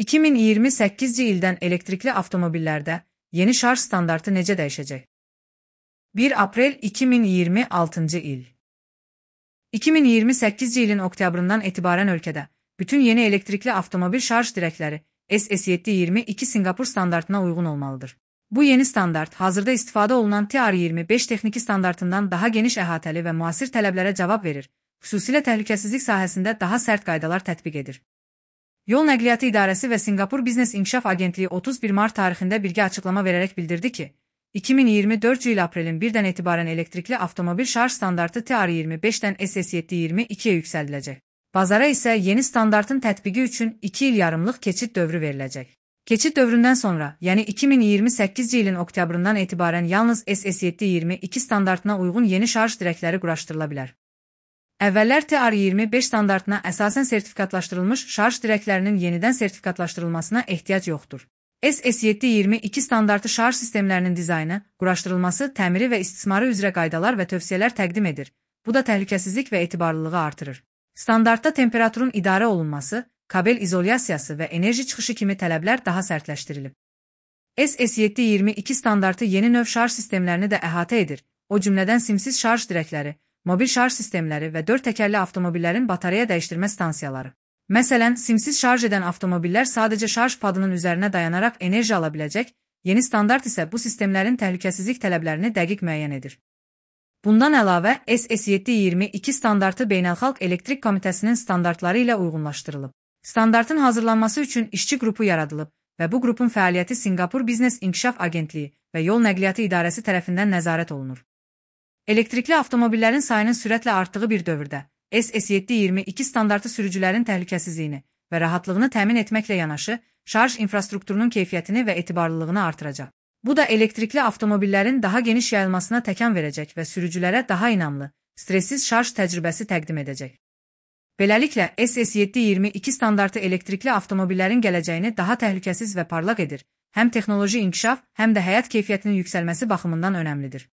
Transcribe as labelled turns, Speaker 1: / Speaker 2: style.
Speaker 1: 2028-ci ildən elektrikli avtomobillərdə yeni şarj standartı necə dəyişəcək? 1 aprel 2026-cı il. 2028-ci ilin oktyabrından etibarən ölkədə bütün yeni elektrikli avtomobil şarj dirəkləri SS722 Sinqapur standartına uyğun olmalıdır. Bu yeni standart hazırda istifadə olunan TR25 texniki standartından daha geniş əhatəli və müasir tələblərə cavab verir, xüsusilə təhlükəsizlik sahəsində daha sərt qaydalar tətbiq edir. Yol Nəqliyyatı İdarəsi və Sinqapur Biznes İnkişaf Agentliyi 31 mart tarixində birgə açıqlama verərək bildirdi ki, 2024 il aprelin 1-dən etibarən elektrikli avtomobil şarj standartı TR25-dən SS722-yə yüksəldiləcək. Bazara isə yeni standartın tətbiqi üçün 2 il yarımlıq keçid dövrü veriləcək. Keçid dövründən sonra, yəni 2028-ci ilin oktyabrından etibarən yalnız SS722 standartına uyğun yeni şarj dirəkləri quraşdırıla bilər. Əvvəllər TR25 standartına əsasən sertifikatlaşdırılmış şarj dirəklərinin yenidən sertifikatlaşdırılmasına ehtiyac yoxdur. SS722 standartı şarj sistemlərinin dizaynı, quraşdırılması, təmiri və istismarı üzrə qaydalar və tövsiyələr təqdim edir. Bu da təhlükəsizlik və etibarlılığı artırır. Standartda temperaturun idarə olunması, kabel izolyasiyası və enerji çıxışı kimi tələblər daha sərtləşdirilib. SS722 standartı yeni növ şarj sistemlərini də əhatə edir, o cümlədən simsiz şarj dirəkləri, mobil şarj sistemləri və 4 təkərli avtomobillərin batareya dəyişdirmə stansiyaları. Məsələn, simsiz şarj edən avtomobillər sadəcə şarj padının üzərinə dayanaraq enerji ala biləcək, yeni standart isə bu sistemlərin təhlükəsizlik tələblərini dəqiq müəyyən edir. Bundan əlavə, SS722 standartı Beynəlxalq Elektrik Komitəsinin standartları ilə uyğunlaşdırılıb. Standartın hazırlanması üçün işçi qrupu yaradılıb və bu qrupun fəaliyyəti Sinqapur Biznes İnkişaf Agentliyi və Yol Nəqliyyatı İdarəsi tərəfindən nəzarət olunur. Elektrikli avtomobillərin sayının sürətlə artdığı bir dövrdə, SS722 standartı sürücülərin təhlükəsizliyini və rahatlığını təmin etməklə yanaşı, şarj infrastrukturunun keyfiyyətini və etibarlılığını artıracaq. Bu da elektrikli avtomobillərin daha geniş yayılmasına təkan verəcək və sürücülərə daha inamlı, stressiz şarj təcrübəsi təqdim edəcək. Beləliklə, SS722 standartı elektrikli avtomobillərin gələcəyini daha təhlükəsiz və parlaq edir, həm texnoloji inkişaf, həm də həyat keyfiyyətinin yüksəlməsi baxımından önəmlidir.